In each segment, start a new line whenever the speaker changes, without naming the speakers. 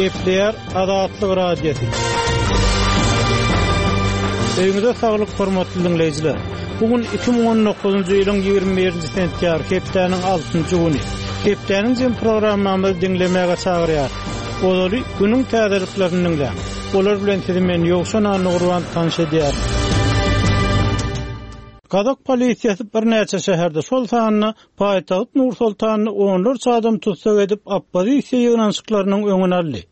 Gepleýär Azatlyk Radiosy. Öýüňize saglyk hormatly diňleýjiler. Bu gün 2019-njy ýylyň 21-nji sentýabr, hepdäniň altynjy güni. Hepdäniň jem programmamyzy diňlemäge çagyrýar. Ozaly günüň täzeliklerini diňläň. Olar bilen sizi men Ýowşan Annagurban tanyş edýärin. Gazak polisiýasy birnäçe şäherde, şol sanda paýtagt Nur-Sultanda onlarça adam tussag edip, oppozisiýa ýygnanyşyklarynyň öňüni aldy.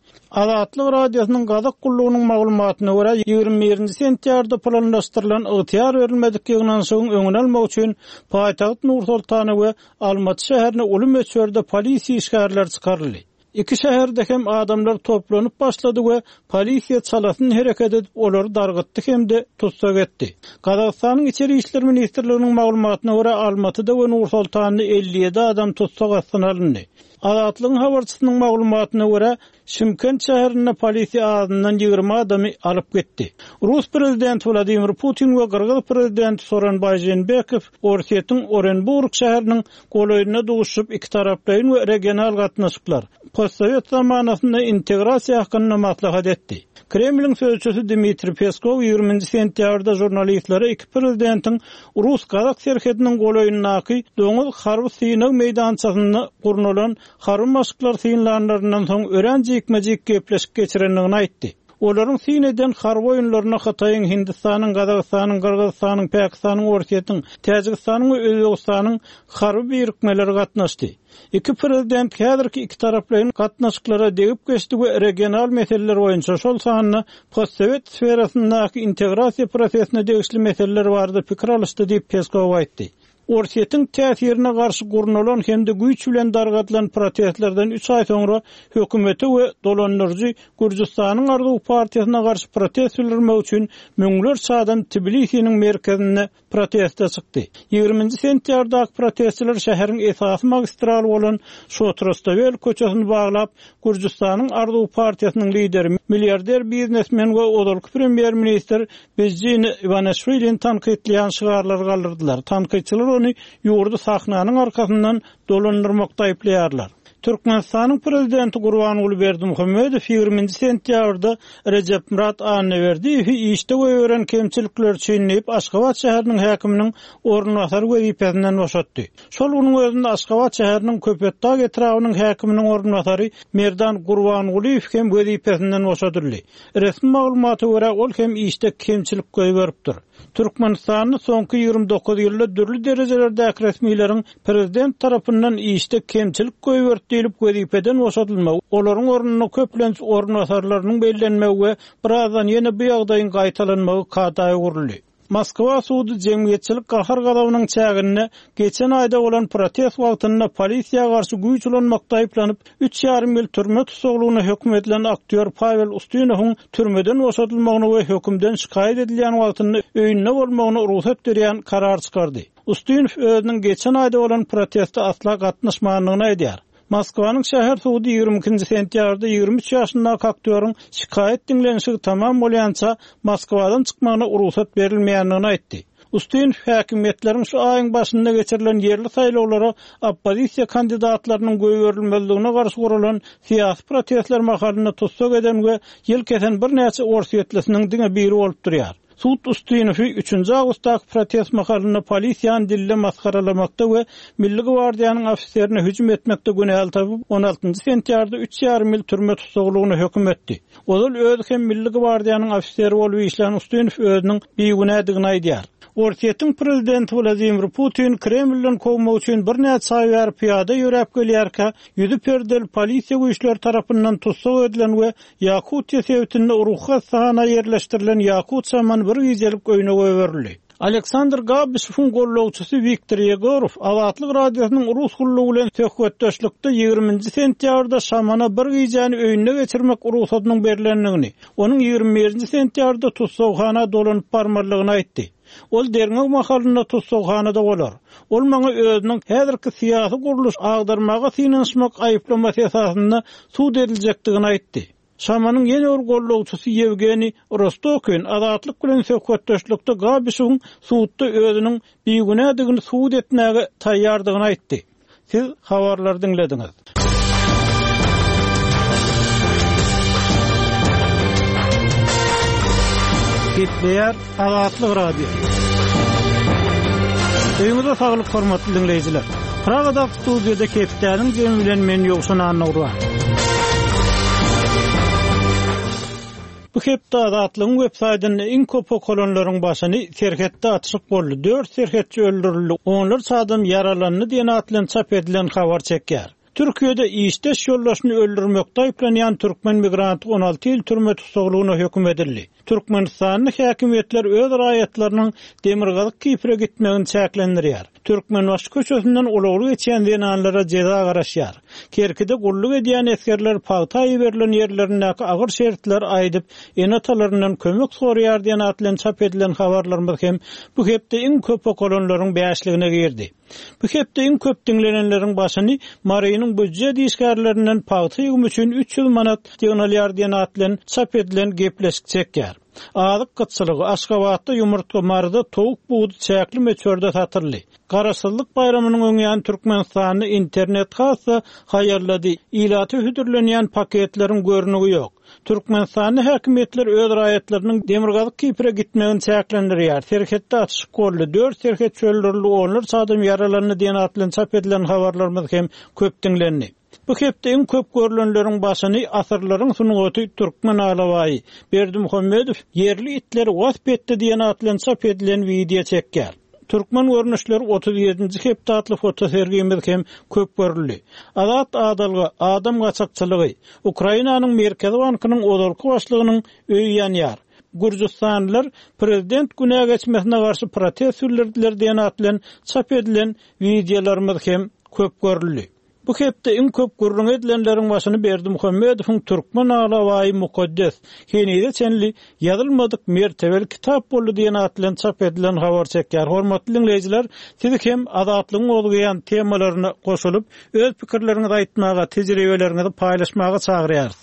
Azatlyk Radiosynyň Gazak gullugynyň maglumatyna görä, 21-nji sentýabrda planlaşdyrylan ygtyýar berilmedik ýygnanyşygyň öňüni almak üçin paýtagt Nur-Sultana we Almaty şäherine uly möçberde polisiýa işgärleri çykaryldy. Iki şäherde hem adamlar toplanyp başlady we polisiýa çalasyn hereket edip olary dargytdy hem-de tussag etdi. Gazagystanyň Içeri işler ministrliginiň maglumatyna görä, Almatyda we Nur-Sultanda 57 adam tussag astyna alyndy. Azatlygyň habarçysynyň maglumatyna görä, Şymkent şäherinde polisiýa azyndan 20 adamy alyp gitdi. Rus prezidenti Wladimir Putin we gyrgyz prezidenti Sooronbaý Žeenbekow Orsýetiň Orenburg şäheriniň golaýynda duşuşyp ikitaraplaýyn we regional gatnaşyklar, postsowet zamanasynda integrasiýa hakynda maslahat etdi. Kremliň sözçüsi Dmitriý Peskow ýigriminji sentýabrda žurnalistlere iki prezidentiň rus-gazak serhediniň golaýyndaky Doňuz harby synag meýdançasynda gurnalan harby maşklary synlanlaryndan soň örän jikme-jik gepleşik geçirendigini aýtdy. Olaryň syn eden harby oýunlaryna Hytaýyň, Hindistanyň, Gazagystanyň, Gyrgyzystanyň, Pakistanyň, Orsýetiň, Täjigistanyň we Özbegistanyň harby birikmeleri gatnaşdy. Iki prezident häzirki ikitaraplaýyn gatnaşyklara degip geçdi we regional meseleler boýunça, şol sanda postsowet sferasyndaky integrasiýa prosesine degişli meseleler barada pikir alyşdy diýip, Peskow aýtdy. Orsýetiň täsirine garşy gurnalan hem-de güýç bilen dargadylan protestlerden üç aý soňra hökümete we dolandyryjy Gürjüstanyň Arzuw partiýasyna garşy protest bildirmek üçin müňlerçe adam Tbilisiniň merkezinde proteste çykdy. Ýigriminji sentýabrdaky protestçiler şäheriň esasy magistraly bolan Şotrostawel köçesini baglap, Gürjüstanyň Arzuw partiýasynyň lideri, milliarder biznesmen we ozalky premýer-ministr Bidzina Iwaneşwilini tankytlaýan şygarlary galdyrdylar. Tankytçylar ony ýurdy sahnanyň arkasyndan dolandyrmakda aýyplaýarlar. Türkmenistanyň Prezidenti Gurbanguly Berdimuhamedow ýigriminji sentýabrda Rejepmyrat Annaberdiýewi işde goýberen kemçilikleri üçin diýip, Aşgabat şäheriniň häkiminiň orunbasary wezipesinden boşatdy. Şol günüň özünde Aşgabat şäheriniň Köpetdag etrabynyň häkiminiň orunbasary Merdan Gurbangulyýew hem wezipesinden boşadyldy. Resmi maglumata görä, ol hem işde kemçilik goýberipdir. Türkmenistanda soňky 29 ýylda dürli derejelerdäki resmileriň prezident tarapyndan işde kemçilik goýberdi diýlip wezipeden boşadylmagy, olaryň ornuna köplenç orunbasarlarynyň bellenmegi we birazdan ýene bu ýagdaýyň gaýtalanmagy kada öwrüldi. Moskwa sudy jemgyýetçilik gahar-gazabynyň çäginde geçen aýda bolan protest wagtynda polisiýa garşy güýç ulanmakda aýyplanyp, üç ýarym ýyl türme tussaglygyna höküm edilen aktýor Pawel Ustinowyň türmeden boşadylmagyna we hökümden şikaýat edilýän wagtynda öýünde bolmagyna rugsat berýän karar çykardy. Ustinow özüniň geçen aýda bolan proteste asla gatnaşmandygyny aýdýar. Moskwanyň şäher sudy 22-nji sentýabrda 23 ýaşyndaky aktýoryň şikaýat diňlenişigi tamam bolýança Moskwadan çykmagyna rugsat berilmeýändigini aýtdy. Ustinow häkimiýetleriň şu aýyň başynda geçirilen ýerli saýlawlara oppozisiýa kandidatlarynyň goýberilmezligine garşy guralan syýasy protestler mahalynda tussag eden we ýyl kesen birnäçe orsýetlisiniň diňe biri bolup durýar. Sud Ustinowy üçünji awgustdaky protest mahalynda polisiýany dilde masgaralamakda we Milli gwardiýanyň ofiserine hüjüm etmekde günäli tapyp, on altynjy sentýabrda üç ýarym ýyl türme tussaglygyna höküm etdi. Ozal özi hem Milli gwardiýanyň ofiseri bolup işlän Ustinow özüniň bigünädigini aýdýar. Orsýetiň prezidenti Wladimir Putin Kremlden kowmak üçin birnäçe aý bäri pyýada ýöräp gelýärkä, ýüzi perdeli polisiýa güýçleri tarapyndan tussag edilen we Ýakutiýa sebitinde ruhy hassahana ýerleşdirilen ýakut şamany bir gijelik öýüne goýberildi. Aleksandr Gabyshewiň gollagçysy Wiktor Ýegorow Azatlyk Radiosynyň Rus gullugy bilen söhbetdeşlikde ýigriminji sentýabrda şamana bir gijäni öýünde geçirmek rugsadynyň berlendigini, onuň 21-nji sentýabrda tussaghana dolanyp barmalydygyny aýtdy. Ol derňew mahalynda tussaghanada bolar. Ol maňa özüniň häzirki syýasy gurluş agdarmaga synanyşmak aýyplamasy esasynda sud ediljekdigini aýtdy. Şamanyň ýene bir gollagçysy Ýewgeniý Rostokin Azatlyk bilen söhbetdeşlikde Gabişewiň sudda özüniň bigünädigini subut etmäge taýýardygyny aýtdy. Siz habarlary diňlediňiz. Gepleýär Azatlyk Radiosy. Öýüňize saglyk hormatly diňleýjiler. Pragadaky studiýada hepdäniň jemi bilen men Ýowşan Annagurban. Bu hepde Azatlygyň web saýtynda iň köp okalanlaryň başyny Serhetde atyşyk boldy, dört serhetçi öldürildi, onlarça adam ýaralandy diýen at bilen çap edilen habar çekýär. Türkiýede işdeş ýoldaşyny öldürmekde aýyplanýan türkmen migranty 16 ýyl türme tussaglygyna höküm edildi. Türkmenistanda häkimiýetler öz raýatlarynyň Demirgazyk Kipre gitmegini çäklendirýär. Türkmenbaşy köçesinden ulagly geçýän zenanlara jeza garaşýar. Kerkide gulluk edýän esgerler pagta iberilen ýerlerindäki agyr şertleri aýdyp, ene-atalaryndan kömek soraýar diýen at bilen çap edilen habarlarymyz hem bu hepde iň köp okalanlaryň bäşligine girdi. Bu hepde iň köp diňlenenleriň başyny Marynyň býujet işgärlerinden pagta ýygymy üçin 300 manat ýygnalýar diýen at bilen çap edilen gepleşik çekýär. Azyk gytçylygy, Aşgabatda ýumurtga, Maryda towuk budy çäkli möçberde satyldy. Garaşsyzlyk baýramynyň öňýany Türkmenistanda internet has-da haýallady, ilata hödürlenýän paketleriň görnügi ýok. Türkmenistanda häkimiýetler öz raýatlarynyň Demirgazyk Kipre gitmegini çäklendirýär. Serhetde atyşyk boldy, dört serhetçi öldürildi, onlarça adam ýaralandy diýen at bilen çap edilen habarlarymyz hem köp diňlendi. Bu hepde iň köp görlenleriň başyny Asyrlaryň sungaty türkmen alabaýy Berdimuhamedow ýerli itleri wasp etdi diýen at bilen çap edilen wideo çekýär. Türkmen görnüşleri 37-nji hepde atly fotosergimiz hem köp görüldi. Azat adalga, adam gaçakçylygy, Ukrainanyň Merkezi bankynyň ozalky başlygynyň öýi ýanýar. Gürjüstanlylar prezident günä geçmesine garşy protest bildirdiler diýen at bilen çap edilen wideolarymyz hem köp görüldi. Bu hepde iň köp gürrüňi edilenleriň başyny Berdimuhamedowyň Türkmen alabaýy mukaddes, henize çenli ýazylmadyk mertebeli kitap boldy diýen at bilen çap edilen habar çekýär. Hormatly diňleýjiler, siz hem Azatlygyň gozgaýan temalaryna goşulyp, öz pikirleriňizi aýtmaga, tejribeleriňizi paýlaşmaga çagyrýarys.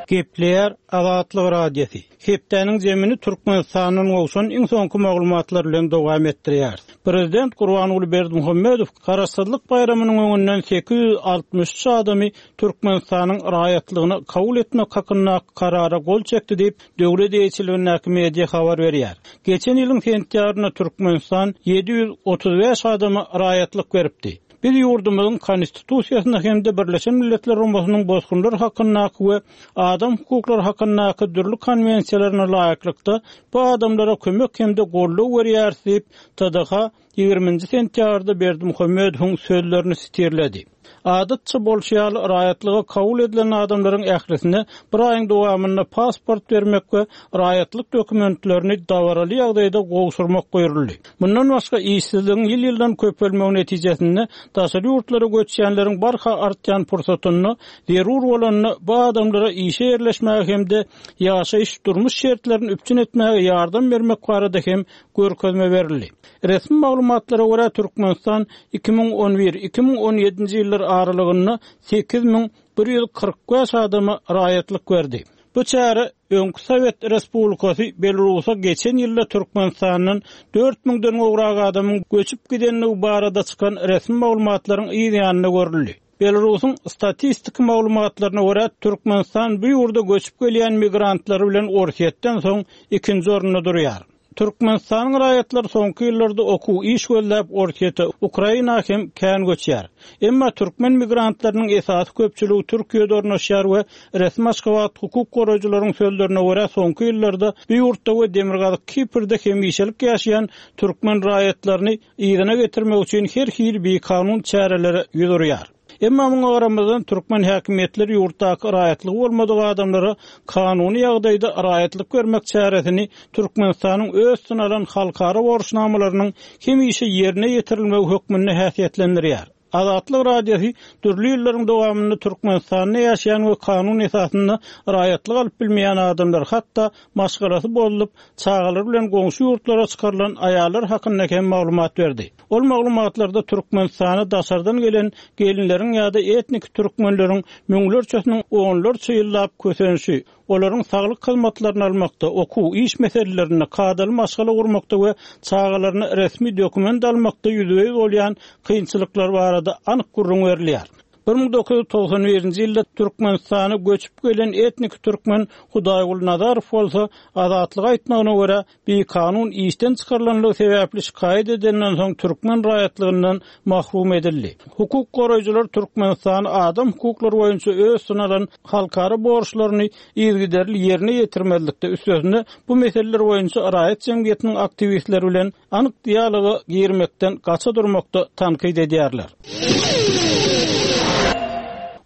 Gepleýär Azatlyk Radiosy. Hepdäniň jemini Türkmenistandan gowşan iň soňky maglumatlar bilen dowam etdirýäris. Prezident Gurbanguly Berdimuhamedow Garaşsyzlyk baýramynyň öňünden 863 adamy Türkmenistanyň raýatlygyna kabul etmek hakyndaky Karara gol çekdi diýip, döwlet eýeçiligindäki media habar berýär. Geçen ýylyň sentýabrynda Türkmenistan 735 adama raýatlyk beripdi. Biz ýurdumyzyň Konstitusiýasyna hem-de Birleşen Milletler Guramasynyň Bosgunlar hakyndaky we adam hukuklary hakyndaky dürli konwensiýalaryna laýyklykda bu adamlara kömek hem-de goldaw berýäris diýip, TDH ýigriminji sentýabrda Berdimuhamedowyň sözlerini sitirledi. Adatça bolşy ýaly, raýatlyga kabul edilen adamlaryň ählisine bir aýyň dowamynda pasport bermek we raýatlyk dokumentlerini dabaraly ýagdaýda gowşurmak buýruldy. Mundan başga, işsizligiň ýyl-ýyldan köpelmegi netijesinde daşary ýurtlara göçýänleriň barha artýan pursatynda zerur bolanda bu adamlara işe ýerleşmäge hem-de ýaşaýyş-durmuş şertlerini üpjün etmäge ýardam bermek barada hem görkezme berildi. Resmi maglumatlara görä, Türkmenistan 2011, 2017-nji ýyllar aralygynda 8145 adama raýatlyk berdi. Bu çäre öňki sowet respublikasy Belarusa geçen ýylda Türkmenistandan dört müňden gowrak adamyň göçüp gidendigi barada çykan resmi maglumatlaryň yz ýanynda görüldi. Belarusyň statistiki maglumatlaryna görä, Türkmenistan bu ýurda göçüp gelýän migrantlary bilen Orsýetden soň ikinji orunda durýar. Türkmenistanyň raýatlary soňky ýyllarda okuw, iş gözläp Orsýete, Ukraina hem kän göçýär. Emma türkmen migrantlarynyň esasy köpçüligi Türkiýede ornaşýar we resmi Aşgabat hukuk goraýjylaryň sözlerine görä soňky ýyllarda bu ýurtda we Demirgazyk Kiprde hemişelik ýaşaýan türkmen raýatlaryny yzyna getirmek üçin her hili bikanun çärelere ýüz urýar. Emma muňa garamazdan, türkmen häkimiýetleri ýurtdaky raýatlygy bolmadyk adamlara kanuny ýagdaýda raýatlyk bermek çäresini Türkmenistanyň öz üstüne alan halkara borçnamalarynyň hemişe ýerine ýetirilmegi hökmünde häsiýetlendirýär. Azatlyk Radiosy dürli ýyllaryň dowamynda Türkmenistanda ýaşaýan we kanun esasynda raýatlyk alyp bilmeýän adamlar, hatda maşgalasy bozulyp, çagalary bilen goňşy ýurtlara çykarylan aýallar hakynda hem maglumat berdi. Ol maglumatlarda Türkmenistana daşardan gelen gelinleriň ýa-da etniki türkmenleriň müňlerçesiniň onlarça ýyllap kösenişi, olaryň saglyk hyzmatlaryny almakda, okuw, iş meselelerinde, kadaly maşgala gurmakda we çagalaryna resmi dokument almakda ýüzbe-ýüz bolýan kynçylyklary barada anyk gürrüň berilýär. 1991-nji ýylda Türkmenistana göçüp gelen etniki türkmen Hudaýguly Nazarow bolsa, Azatlyga aýtmagyna görä, bikanun işden çykarylanlygy sebäpli şikaýat edenden soň türkmen raýatlygyndan mahrum edildi. Hukuk goraýjylar Türkmenistany adam hukuklary boýunça öz üstüne alan halkara borçlaryny yzygiderli ýerine ýetirmezlikde, üstesine bu meseleler boýunça raýat jemgyýetiniň aktiwistleri bilen anyk dialoga girmekden gaça durmakda tankyt edýärler.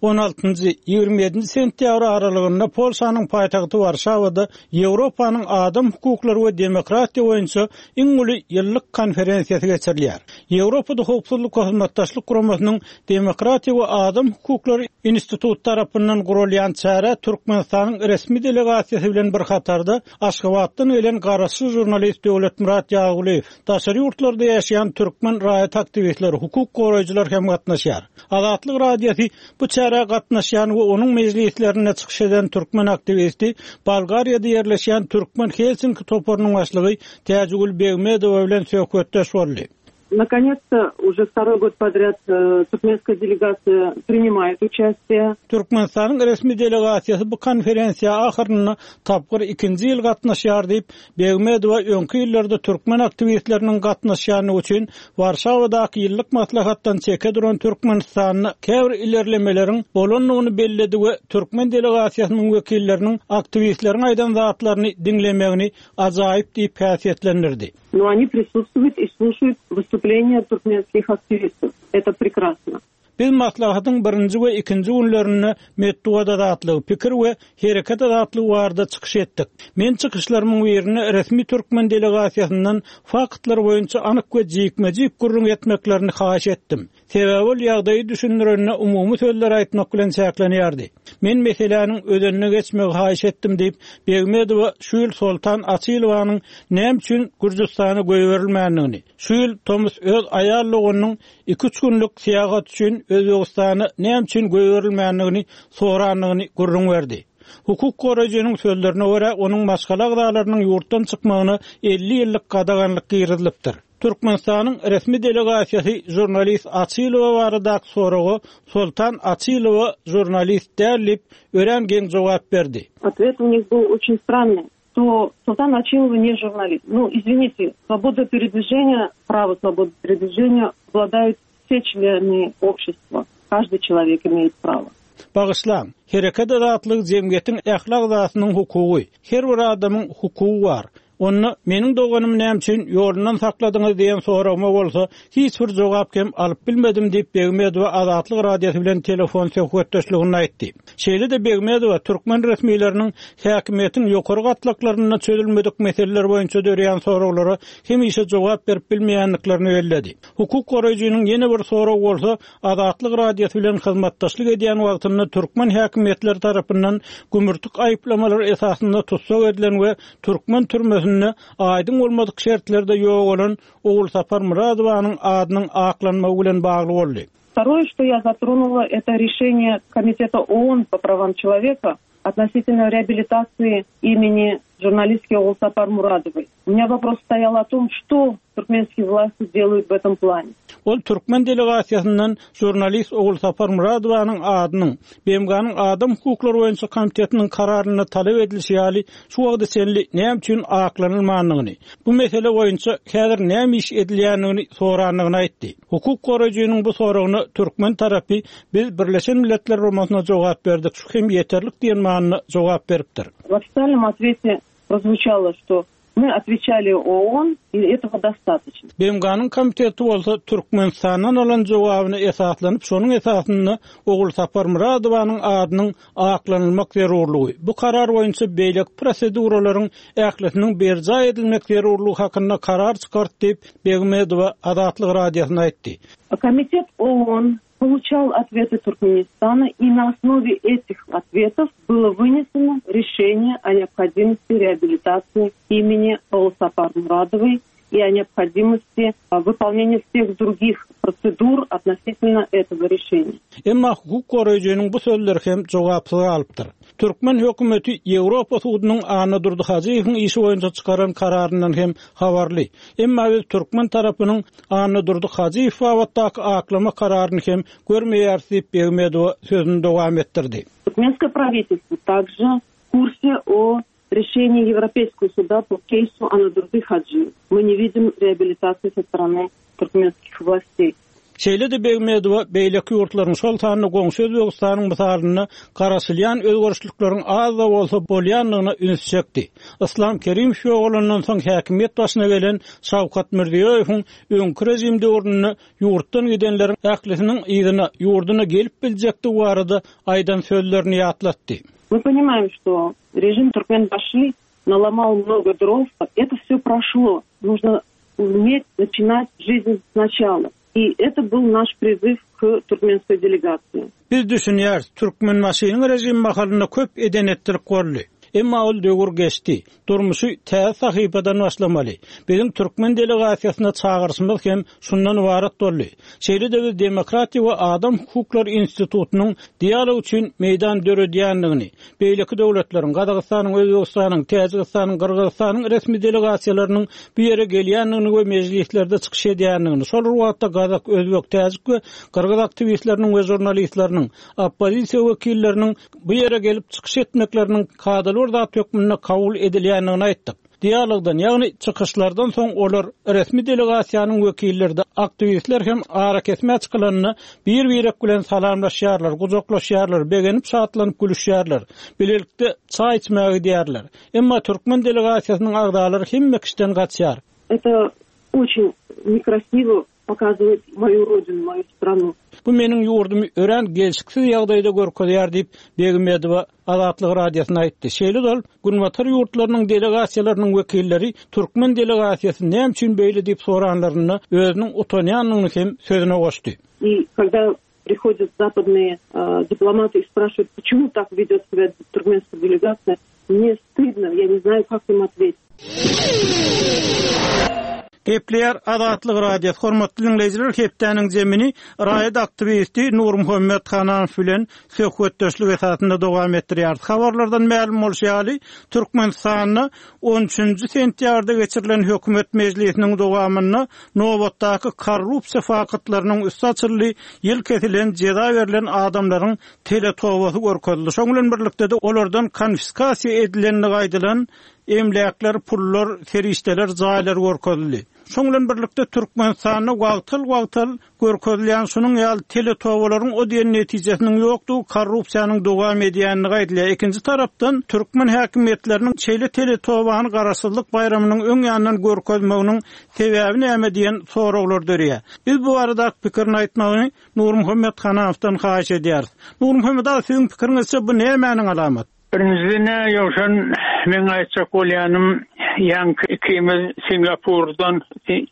On altynjy, 27-nji sentýabr aralygynda Polşanyň paýtagty Warşawada Ýewropanyň adam hukuklary we demokratiýa boýunça iň uly ýyllyk konferensiýasy geçirilýär. Ýewropada Howpsuzlyk we Hyzmatdaşlyk Guramasynyň Demokratiýa we adam hukuklary instituty tarapyndan guralýan çärä Türkmenistanyň resmi delegasiýasy bilen bir hatarda Aşgabatdan gelen garaşsyz žurnalist Döwletmyrat Ýazgulyýew, daşary ýurtlarda ýaşaýan türkmen raýat aktiwistleri, hukuk goraýjylar hem gatnaşýar. Azatlyk Radiosy bu çärä gatnaşýan we onuň mejlislerinde çykyş eden türkmen aktiwisti, Bolgariýada ýerleşýän Türkmen Helsinki toparynyň başlygy Täjigül Begmedowa bilen söhbetdeş boldy.
Nakonec-to, uje wtoroý god podrýad türkmenskaýa delegasiýa prinimaýet uçastiýe.
Türkmenistanyň resmi delegasiýasy bu konferensiýa ahyrynda tapgyr ikinji ýyl gatnaşýar diýip, Begmedowa öňki ýyllarda türkmen aktiwistleriniň gatnaşýandygy üçin Warşawadaky ýyllyk maslahatdan çeke duran Türkmenistanda käbir ilerlemeleriň bolandygyny belledi we türkmen delegasiýasynyň wekilleriniň aktiwistleriň aýdan zatlaryny diňlemegini ajaýyp diýip häsiýetlendirdi.
No oni prisutstwuýut i sluşaýut wystupleniýa türkmenskih aktiwistów. Eto prekrasno.
Biz maslahatyň birinji we ikinji günlerinde metbugat azatlygy, pikir we hereket azatlygy barada çykyş etdik. Men çykyşlarymyň birinde resmi türkmen delegasiýasyndan faktlar boýunça anyk we jikme-jik gürrüň etmeklerini haýyş etdim. Sebäbi ol ýagdaýy düşündirende umumy sözleri aýtmak bilen çäklenýärdi. Men meseläniň özenine geçmegi haýyş etdim diýip, Begmedowa şu ýyl Soltan Açylowanyň näme üçin Gürjüstana goýberilmändigini, şu ýyl tomus öz aýal doganynyň iki-üç günlük syýahat üçin Özbegistana näme üçin goýberilmändigini sorandygyny gürrüň berdi. Hukuk goraýjynyň sözlerine görä, onuň maşgala agzalarynyň ýurtdan çykmagyna 50 ýyllyk gadaganlyk girizilipdir. Türkmenistanyň resmi delegasiýasy žurnalist Açylowa baradaky soraga Soltan Açylowa žurnalist däl diýip, örän geň jogap berdi.
Otwet u nich byl oçin strannyý, to Soltan Açylowa ne žurnalist. Nu, izwinite, swoboda peredwiženiýa, prawo swobody peredwiženiýa wladaýut wse çleny obşestwa, každyý çelowek imeýet prawo.
Bagyşlaň, hereket azatlygy jemgyýetiň ähli agzasynyň hukugy. Her bir adamyň hukugy bar. Onda meniň doganymy näme üçin ýolundan sakladyňyz diýen soragyma bolsa hiç bir jogap hem alyp bilmedim diýip, Begmedowa Azatlyk Radiosy bilen telefon söhbetdeşliginde aýtdy. Şeýle-de Begmedowa türkmen resmileriniň häkimiýetiň ýokary gatlaklarynda çözülmedik meseleler boýunça döreýän soraglara hemişe jogap berip bilmeýändiklerini belledi. Hukuk goraýjynyň ýene bir soragy bolsa Azatlyk Radiosy bilen hyzmatdaşlyk edýän wagtynda türkmen häkimiýetleri tarapyndan gümürtik aýyplamalar esasynda tussag edilen we türkmen türmesinde aýdyň bolmadyk şertlerde ýogalan Ogulsapar Myradowanyň adynyň aklanmagy bilen bagly boldy.
Wtoroe, što ýa zatronula, eto rešeniýe Komiteta OON po prawam çeloweka относительно реабилитации имени журналистки Ogulsapar Muradowoý. U menya wopros stoýal o tom, što türkmenskiý wlasti deluýut w etom plane.
Ol türkmen delegasiýasyndan žurnalist Ogulsapar Muradowanyň adynyň BMG-niň Adam hukuklary boýunça komitetiniň kararynda talap edilişi ýaly şu wagta çenli näme üçin aklanylmandygyny, bu mesele boýunça häzir näme iş edilýändigini sorandygyny aýtdy. Hukuk goraýjynyň bu soragyna türkmen tarapy Biz Birleşen Milletler Guramasyna jogap berdik, şu hem ýeterlik diýen manyda jogap beripdir.
W ofitsialnom otvete prozwuçalo, što my otweçali OON i etogo dostatoçno.
BMG-niň komiteti bolsa Türkmenistandan alan jogabyna esaslanyp, şonuň esasynda Ogulsapar Myradowanyň adynyň aklanylmak zerurlygy, bu karar boýunça beýleki proseduralaryň ählisiniň berjaý edilmek zerurlygy hakynda karar çykardy diýip, Begmedowa Azatlyk Radiosyna aýtdy.
Komitet OON poluçal otwety Türkmenistana i na osnowe etih otwetow bylo wyneseno rešeniýe o neobhodimosti reabilitasiýi imeni Ogulsapar Muradowoý i o neobhodimosti wypolneniýa wseh drugih prosedur otnositelno etogo rešeniýa.
Emma hukuk goraýjynyň bu sözleri hem jogapsyz galypdyr. Türkmen hökümeti Ýewropa sudunyň Annadurdy Hajyýewiň işi boýunça çykaran kararyndan hem habarly. Emma biz türkmen tarapynyň Annadurdy Hajyýew babatdaky aklama kararyny hem görmeýäris diýip, Begmedowa sözüni dowam etdirdi.
Türkmenskoe prawitelstwo także w kursie o rešenii Ýewropeýskogo suda po keýsu Annadurdy Hajyýew. My ne widim reabilitasiýi so strany türkmenskih wlasteý.
Şeýle-de Begmedowa beýleki ýurtlaryň, şol sanda goňşy Özbegistanyň mysalynda garaşylýan özgerişlikleriň az-da bolsa bolýandygyna üns çekdi. Yslam Kerimow ýogalandan soň häkimiýet başyna gelen Şawkat Mirziýoýewiň öňki režim döwründe ýurtdan gidenleriň ählisiniň yzyna, ýurduna gelip biljekdigi barada aýdan sözlerini ýatlatdy.
Мы понимаем, что режим Туркменбаши наломал много дров. Это все прошло. Нужно уметь начинать жизнь сначала. И это был наш призыв к туркменской делегации.
Biz düşünýäris, Türkmenbaşynyň režimi mahalynda köp eden-etdilik boldy. Emma ol döwür geçdi. Durmuşy täze sahypadan başlamaly. Biziň türkmen delegasiýasyna çagyryşymyz hem şundan ybarat boldy. Şeýle-de biz Demokratiýa we adam hukuklary institutynyň dialog üçin meýdan döredýändigini, beýleki döwletleriň, Gazagystanyň, Özbegistanyň, Täjigistanyň, Gyrgyzystanyň resmi delegasiýalarynyň bu ýere gelýändigini we mejlislerde çykyş edýändigini, şol bir wagtda gazak, özbek, täjik we gyrgyz aktiwistleriniň we žurnalistleriniň, oppozisiýa wekilleriniň bu ýere gelip çykyş etmekleriniň kadaly bir zat hökmünde kabul edilýändigini aýtdyk. Dialogdan, ýagny çykyşlardan soň olar, resmi delegasiýanyň wekilleri-de, aktiwistler hem arakesmä çykylanda bir-birek bilen salamlaşýarlar, gujaklaşýarlar, begenip-şatlanyp gülüşýärler, bilelikde çaý içmäge gidýärler. Emma türkmen delegasiýasynyň agzalary hemme kişiden gaçýar.
Это очень nekrasiwo pokazywaet moýu rodinu, moýu stranu.
Bu meniň ýurdumy örän gelşiksiz ýagdaýda görkezýär diýip, Begmedowa Azatlyk Radiosyna aýtdy. Şeýle-de ol, Günbatar ýurtlarynyň delegasiýalarynyň wekilleri türkmen delegasiýasy näme üçin beýle diýip soranlarynda özüniň utanýandygyny hem sözüne goşdy.
I kogda prihodýat zapadnyýe diplomaty i spraşiwaýut, počemu tak wedýot sebýa turkmenskaýa delegasiýa, mne stydno, ýa ne znaýu kak im otwetit.
Gepleýär Azatlyk Radiosy, Hormatly diňleýjiler, hepdäniň zemini raýat aktiwisti Nurmuhammet Hananow bilen söhbetdeşlik esasynda dowam etdirýäris. Habarlardan mälim bolşy ýaly, Türkmenistanda on üçünji sentýabrda geçirilen hökümet mejlisiniň dowamynda nobatdaky korrupsiýa faktlarynyň üsti açyldy, ýyl kesilen, jeza berlen adamlaryň teletobasy görkezildi. Şonuň bilen birlikde-de olardan konfiskasiýa edilendigi aýdylan emläkler, pullar, serişdeler, jaýlar görkezildi. Şonuň bilen birlikde Türkmenistanda wagtal-wagtal görkezilýän şunuň ýaly teletobalaryň o diýen netijesiniň ýokdugy, korrupsiýanyň dowam edýändigi aýdylýar. Ikinji tarapdan, türkmen häkimiýetleriniň şeýle teletobany Garaşsyzlyk baýramynyň öň ýanyndan görkezmeginiň sebäbi näme diýen soraglar döreýär. Biz bu baradaky pikirini aýtmagyny Nurmuhammet Hananowdan haýyş edýäris. Nurmuhammet aga, siziň pikiriňizçe bu nämäniň alamaty?
Birinjiden-ä Ýowşan, meň aýtjak bolýanym, ýaňky ikimiz Singapurdan,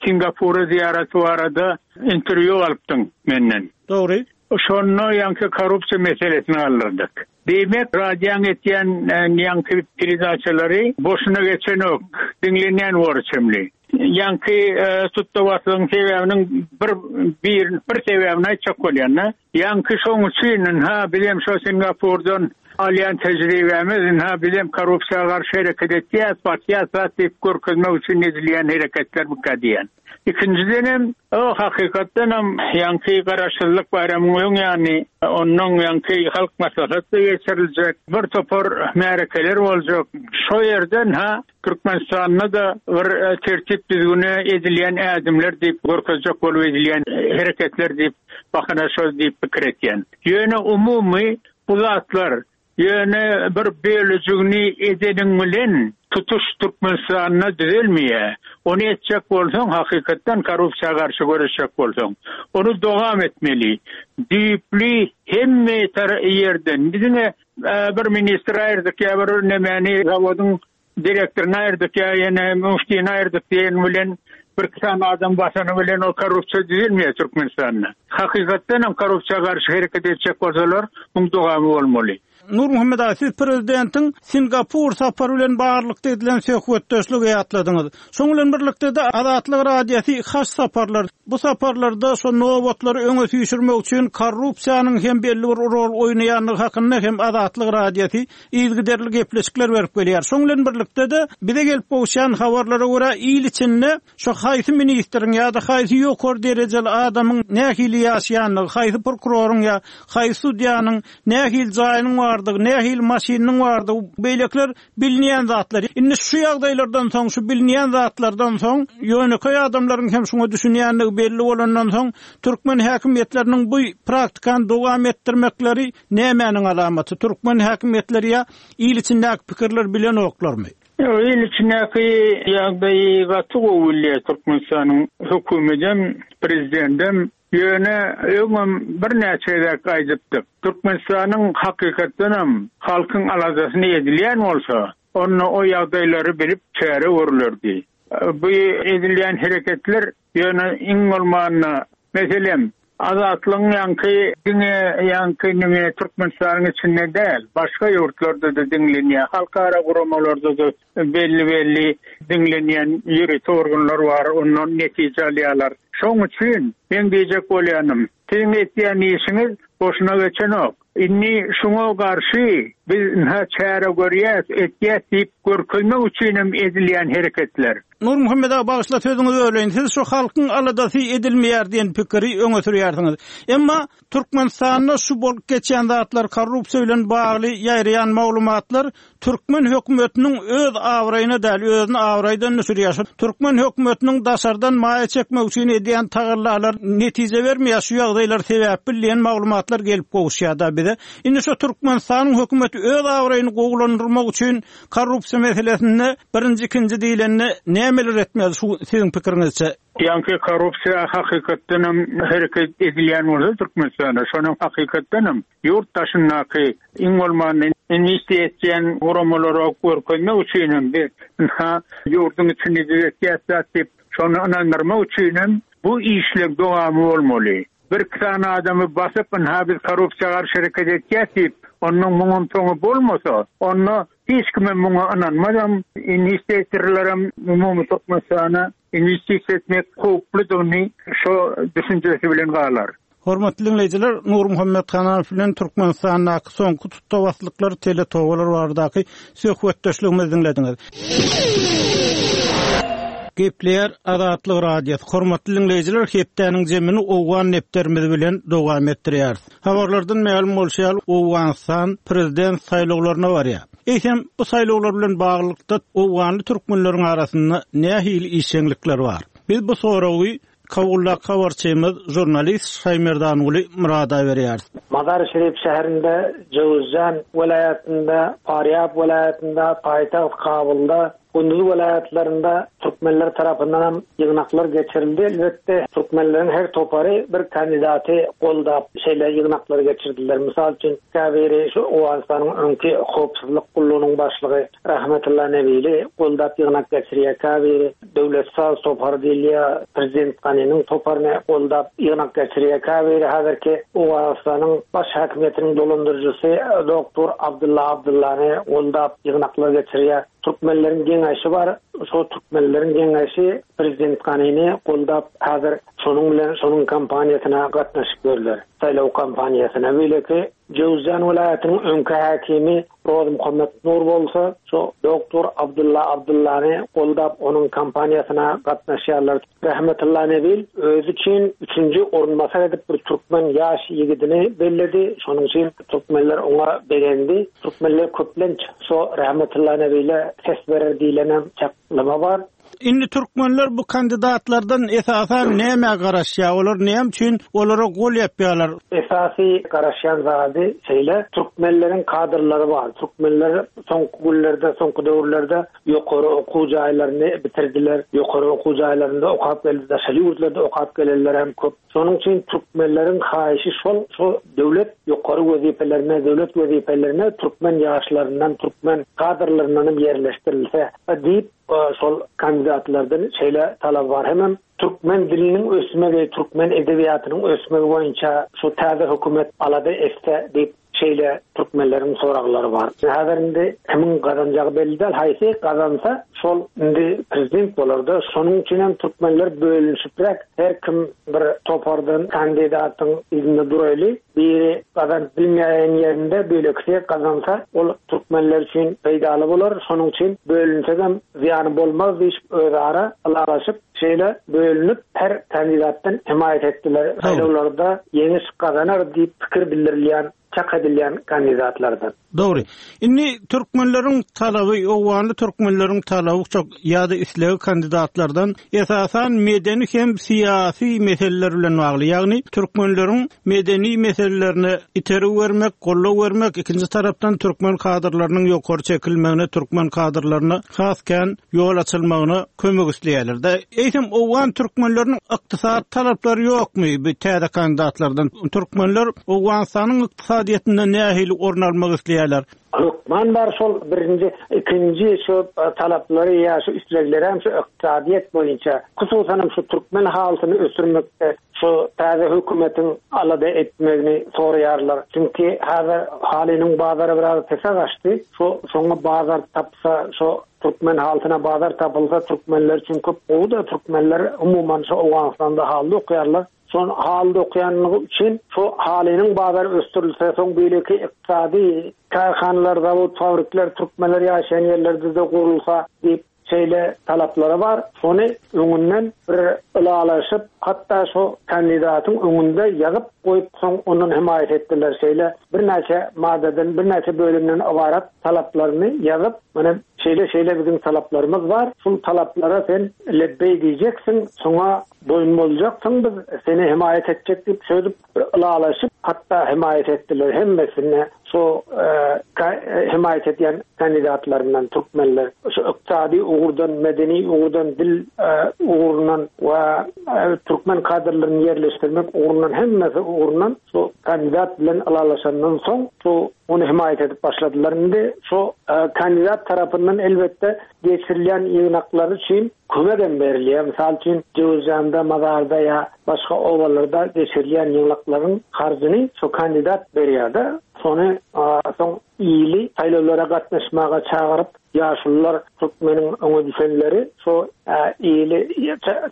Singapura zyýaraty barada interwýu alypdyň menden.
Dogry.
Şonda ýaňky korrupsiýa meselesini galdyrdyk. Diýmek, radioň etýän ýaňky peredaçalary boşuna geçenok, diňlenýän bor çemli. Ýaňky tutda-baslygyň sebäbiniň bir bir bir sebäbini aýtjak bolýan-da. Ýaňky şoň üçin, ynha, bizem şo Singapurdan alýan tejribämiz, ynha, bizem korrupsiýa garşy hereket etýäs, basýas zat diýip görkezmek üçin edilýän hereketlermikä diýýän. Ikinjidenem, o hakykatdanam ýaňky Garaşsyzlyk baýramyň öň ýany, onnoň ýaňky Halk Maslahaty geçiriljek, bir topar märekeler boljak. Şo ýerden, ha, Türkmenistanda-da bir tertip-düzgüne edilýän ädimler diýip görkezjek bolup edilýän hereketler diýip bahana şol diýip pikir etýän. Ýöne umumy bu zatlar ýöne bir bölejigini edeniň bilen tutuş Türkmenistanda düzelmeýär. Ony etjek bolsaň hakykatdan korrupsiýa garşy göreşjek bolsaň ony dowam etmeli. Düýpli hemme ýerden diňe Bir ministri aýyrdyk ýa bir nemäni zawodyň direktoryny aýyrdyk ýa ýene müftini aýyrdyk diýen bilen birki sany adam basany bilen ol korrupsiýa düzelmeýär Türkmenistanda. Hakykatdan hem korrupsiýa garşy hereket etjek bolsalar, muň dogamy bolmaly.
Nurmuhammet aga, siz prezidentiň Singapur sapary bilen baglylykda edilen söhbetdeşligi ýatladyňyz. Şoň bilen birlikde-de Azatlyk Radiosy haç saparlar, bu saparlarda şo nobatlary öňe süýşürmek üçin korrupsiýanyň hem belli bir rol oýnaýandygy hakynda hem Azatlyk Radiosy yzygiderli gepleşikler berip gelýär. Şoň bilen birlikde-de bize gelip gowuşýan habarlara görä il içinde şo haýsy ministriň ýa-da haýsy ýokary derejeli adamyň nähili ýaşaýandygy, haýsy prokuroryň ýa haýsy sudýanyň nähili jaýynyň bardygy, nähili maşynynyň bardygy, beýlekiler bilinýän zatlar. Indi şu ýagdaýlardan soň, şu bilinýän zatlardan soň, ýönekeý adamlaryň hem şuňa düşünýändigi belli bolandan soň, türkmen häkimiýetleriniň bu praktikany dowam etdirmekleri nämäniň alamaty? Türkmen häkimiýetleri ýa il içindäki pikirleri bilenoklarmy?
Ýok, il içindäki ýagdaýy gaty gowy bilýär Türkmenistanyň hökümedem, prezidendem. Ýöne öňem birnäçe gezek aýdypdyk, Türkmenistanyň hakykatdanam halkyň aladasyny edilýän bolsa, onda o ýagdaýlary bilip çäre görülerdi. Bu edilýän hereketler ýöne iň bolmanda, meselem, Azatlygyň ýaňky diňe ýaňky nime Türkmenistanyň içinde däl, başga ýurtlarda-da diňlenýär, halkara guramalarda-da belli-belli diňlenýän ýörite organlar bar, ondan netije alýarlar. Şoň üçin meň diýjek bolýanym, siziň etýän işiňiz boşuna geçenok. Indi şuňa garşy biz ynha çäre görýäs, etýäs diýip görkezmek üçinem edilýän hereketler.
Nurmuhammet aga bagyşla sözüňizi böleýin. Siz şu halkyň aladasy edilmeýär diýen pikiri öňe sürýärsiňiz. Emma Türkmenistanda şu bolup geçýän zatlar korrupsiýa bilen bagly ýaýraýan maglumatlar türkmen hökümetiniň öz abraýyna däl, özüni abraýdan düşürýär. Şu türkmen hökümetiniň daşardan maýa çekmek üçin edýän tagallalar netije bermeýär, şu ýagdaýlar sebäpli diýen maglumatlar gelip gowuşýar-da bize. Indi şu Türkmenistanyň hökümeti öz abraýyny gowulandyrmak üçin korrupsiýa meselesinde birinji, ikinji diýlende nämeler etmeli şu siziň pikiriňizçe?
Ýaňky korrupsiýa hakykatdanam hereket edilýän bolsa Türkmenistanda, şonam hakykatdanam ýurt daşyndaky iň bolmanda inwestiýa etýän guramalara görkezmek üçinem biz ynha ýurduň içinde düzetýäs zat diýip şony ynandyrmak üçinem bu işleň dowamy bolmaly. Birki sany adamy basyp ynha biz korrupsiýa garşy hereket etýäs diýip onnoň muňam soňy bolmasa onda hiç kimem muňa ynanmazam inwestitorlaram umumy Türkmenistana Inwestisiýa etmek howpludygyny şo düşünjesi bilen galar.
Hormatly diňleýjiler, Nurmuhammet Hanamow bilen Türkmenistandaky soňky tutda-baslyklar, teletobalar baradaky söhbetdeşligimizi diňlediňiz. Gepleýär Azatlyk Radiosy. Hormatly diňleýjiler, hepdäniň jemini owgan depderimiz bilen dowam etdirýäris. Habarlardan mälim bolşy ýaly, Owganystan prezident saýlawlaryna barýar. Eýsem, bu saýlawlar bilen baglylykda owganly türkmenleriň arasynda nähili işjeňlikler bar? Biz bu soragy Kabuldaky habarçymyz, žurnalist Şaýmerdanguly Myrada berýäris.
Mazar-i-Şerif şäherinde, Jöwüzjan welaýatynda, Farýab welaýatynda, paýtagt Kabulda, Gunduz welaýatlarynda türkmenler tarapyndanam ýygnaklar geçirildi. Elbetde, türkmenleriň her topary bir kandidaty goldap şeýle ýygnaklary geçirdiler. Mysal üçin, käbiri şu Owganystanyň öňki howpsuzlyk gullugynyň başlygy Rahmetulla Nebili goldap ýygnak geçirýär, käbiri Döwlet saz topary diýilýär, prezident Ganiniň toparyny goldap ýygnak geçirýär, käbiri häzirki Owganystanyň baş häkimiýetiniň dolandyryjysy doktor Abdylla Abdyllany goldap ýygnaklar geçirýär. Türkmenleriň geňeşi bar. Şo türkmenleriň geňeşi prezident Ganini goldap häzir şonuň bilen şonuň kampaniýasyna gatnaşyp ýörler. Saýlaw kampaniýasyna. Beýleki Jöwüzjan welaýatynyň öňki häkimi Rozmuhammet Nur bolsa şo doktor Abdylla Abdyllany goldap onuň kampaniýasyna gatnaşýarlar. Rahmetulla Nebil özi üçin üçünji orunbasar edip bir türkmen ýaş ýigidini belledi. Şonuň üçin türkmenler oňa begendi. Türkmenler köplenç şo Rahmetulla Nebile ses berer diýlenem çaklama bar.
Indi türkmenler bu kandidatlardan esasan nämä garaşýar? Olar näme üçin olara gol ýapýarlar?
Esasy garaşýan zady şeýle, türkmenleriň kadrlary bar. Türkmenler soňky günlerde, soňky döwürlerde Ýokary okuw jaýlaryny bitirdiler. Ýokary okuw jaýlarynda okap geldi, daşary ýurtlarda okap gelenler hem köp. Şonuň üçin türkmenleriň haýyşy şol, şo döwlet ýokary wezipelerine, döwlet wezipelerine türkmen ýaşlaryndan, türkmen kadrlaryndan hem ýerleşdirilse diýip, şol kandidatlardan şeýle talap bar. Hemem türkmen diliniň ösmegi, türkmen edebiýatynyň ösmegi boýunça şu täze hökümet alada etse diýip. şeýle türkmenleriň soraglary bar. Häzir indi kimiň gazanjagy belli däl, haýsy gazansa şol indi prezident bolarda. Şonuň üçin hem türkmenler bölünişipräk her kim bir topardan kandidatyň yzynda duraýly, biri gazanyp bilmeýän ýerinde beýlekisi gazansa ol türkmenler üçin peýdaly bolar, şonuň üçin bölünsegem zyýany bolmaz diýşip özara ylalaşyp şeýle bölünip her kandidatdan hemaýat etdiler, saýlawlarda ýeňiş gazanar diýip pikir bildirilýän çak edilýän kandidatlardan.
Dogry. Indi türkmenleriň talaby, owganly türkmenleriň talaby çok ýa-da islegi kandidatlardan esasan medeni hem syýasy meseleler bilen bagly. Ýagny türkmenleriň medeni meselelerine itergi bermek, goldaw bermek, ikinji tarapdan türkmen kadrlarynyň ýokary çekilmegine, türkmen kadrlaryna has kän ýol açylmagyna kömek isleýärler-de. Eýsem owgan türkmenleriniň ykdysady talaplary ýokmy bu täze kandidatlardan? Türkmenler Owganystanyň ykdysadyýetinde nähili orun almak isleýärler?
Hökman bar şol birinji, ikinji şu talaplary ýa şu islegleri hem şu ykdysadyýet boýunça, hususanam şu türkmen halysyny ösdürmekde şu täze hökümetiň alada etmegini soraýarlar. Çünki häzir halynyň bazary biraz pese gaçdy. Şu şoňa bazar tapsa, şu türkmen halysyna bazar tapylsa türkmenler üçin köp gowy-da, türkmenler umuman şu Owganystanda haly dokýarlar. Şol haly dokýanlygy üçin şu halynyň bazary ösdürilse, soň beýleki ykdysady kärhanalar, zawod, fabrikler türkmenler ýaşaýan ýerlerde-de gurulsa diýip şeýle talaplary bar. Şony öňünden bir ylalaşyp, hatda şu kandidatyň öňünde ýazyp goýup, soň ondan hemaýat etdiler. Şeýle birnäçe maddadan, birnäçe bölümden ybarat talaplaryny ýazyp, mana şeýle-şeýle biziň talaplarymyz bar, şul talaplara sen lebbeý diýjeksiň, şoňa Boýun boljaksyň biz seni hemaýat etjek diýip şöýdüp bir ylalaşyp hatda hemaýat etdiler hemmesine şo hemaýat edýän kandidatlaryndan türkmenler şu ykdysady ugurdan medeni ugurdan dil ugrundan we türkmen kadrlaryny ýerleşdirmek ugrundan hemmesi ugrundan şu kandidat bilen ylalaşandan soň şu ony hemaýat edip başladylar indi şu kandidat tarapyndan elbetde geçirilýän ýygnaklar üçin kömek hem berilýär. Mysal üçin, Jöwüzjanda, Mazarda ýa başga obalarda geçirilýän ýygnaklaryň harjyny şo kandidat berýär-de, şony soň ili saýlawlara gatnaşmaga çagyryp, ýaşulular, türkmeniň öňe düşenleri şo ili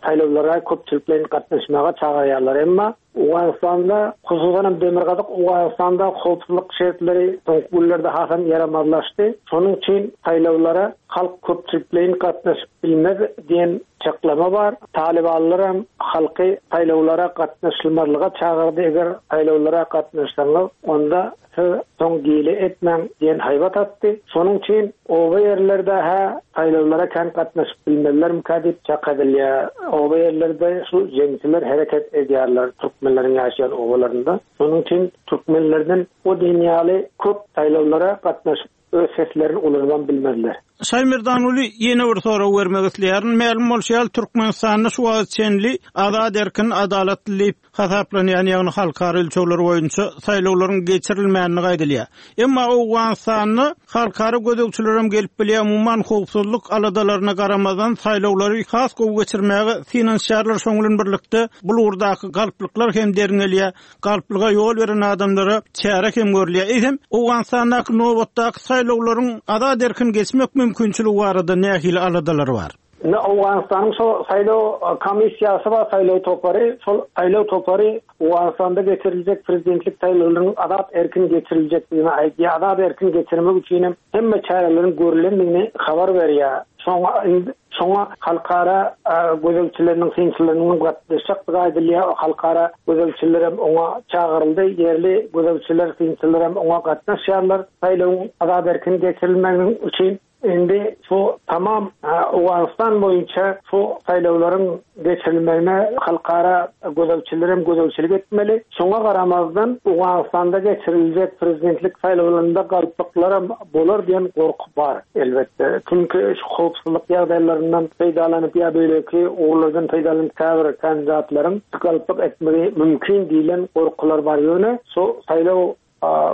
saýlawlara köpçülikleýin gatnaşmaga çagyrýarlar. Emma Owganystanda, hususan hem Demirgazyk Owganystanda howpsuzlyk şertleri soňky günlerde hasam ýaramazlaşdy. Şonuň üçin saýlawlara halk köpçülikleýin gatnaşyp bilmez diýen çaklama bar. Talybanlar hem halky saýlawlara gatnaşylmazlyga çagyrdy, eger saýlawlara gatnaşsaňyz, onda Siz soň gile etmäň diýen haýbat atdy. Şonuň üçin oba ýerlerde-hä saýlawlara kän gatnaşyp bilmezlermikä diýip çak edilýär. Oba ýerlerde şu jeňçiler hereket edýärler türkmenleriň ýaşaýan obalarynda. Şonuň üçin türkmenlerden o diýen ýaly köp saýlawlara gatnaşyp öz seslerini ulanybam bilmezler.
Şaýmerdanuly ýene bir sorag bermek isleýärin. Mälim bolşy ýaly Türkmenistanda şu wagta çenli azat erkin adalatly diýip hasaplanýan, ýagny halkara ölçegleri boýunça saýlawlaryň geçirilmändigi aýdylýar. Emma Owganystanda halkara gözegçilerem gelip bilýär, umuman howpsuzlyk aladalaryna garamazdan saýlawlary has gowy geçirmäge synanyşýarlar, şonuň bilen birlikde bul ugurdaky galplyklar hem derňelýär, galplyga ýol beren adamlara çäre hem görülýär. Eýsem, Owganystandaky nobatdaky saýlawlaryň azat-erkin geçmek mümkinçiligi barada nähili aladalar bar?
Indi Owganystanyň şo saýlaw komissiýasy bar, saýlaw topary. Şol saýlaw topary Owganystanda geçiriljek prezidentlik saýlawlarynyň azat-erkin geçiriljekdigini aýdýar. Azat-erkin geçirmek üçin hem hemme çäreleriň görlendigini habar berýär. Şoňa indi şoňa halkara gözegçileriniň, synçylarynyň gatnaşjakdygy aýdylýar. Halkara gözegçiler hem oňa çagyryldy. Ýerli gözegçiler, synçylar hem oňa gatnaşýarlar. Saýlawyň azat-erkin geçirilmeginiň üçin Indi şu tamam Owganystan boýunça şu saýlawlaryň geçirilmegine halkara gözegçiler hem gözegçilik etmeli. Şoňa garamazdan Owganystanda geçiriljek prezidentlik saýlawlarynda galplyklaram bolar diýen gorky bar, elbetde. Çünki şu howpsuzlyk ýagdaýlaryndan peýdalanyp ýa beýleki ugurlardan peýdalanyp käbir kandidatlaryň galplyk etmegi mümkin diýlen gorkular bar. Ýöne şu saýlaw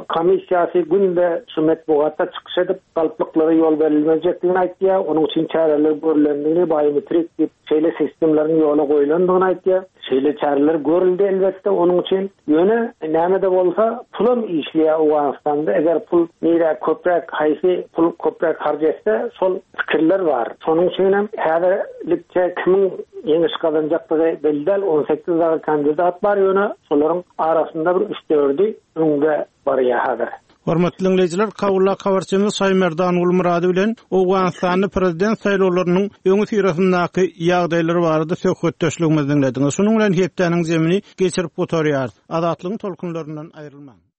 Komissiýasy günde şu metbugatda çykyş edip, galplyklara ýol berilmejekdigini aýtýar, onuň üçin çäreler görlendigini, biometrik diýip, şeýle sistemleriň ýola goýlandygyny aýtýar. Şeýle çäreler görüldi elbetde onuň üçin. Ýöne näme-de bolsa pulam işleýär Owganystanda. Eger pul nirä köpräk haýsy pul köpräk harç etse şol pikirler bar. Şonuň üçin hem häzirlikçe kimiň ýeňiş gazanjakdygy belli däl. 18 dagy kandidat bar ýöne şolaryň arasynda bir üç-dördi öňde barýar häzir.
Hormatly diňleýjiler, Kabuldaky habarçymyz Şaýmerdan Gulmyrady bilen Owganystanda prezident saýlawlarynyň öňüsyrasyndaky ýagdaýlar barada söhbetdeşligimizi diňlediňiz. Şunuň bilen hepdäniň jemini geçirip gutarýarys. Azatlygyň tolkunlaryndan aýrylmaň!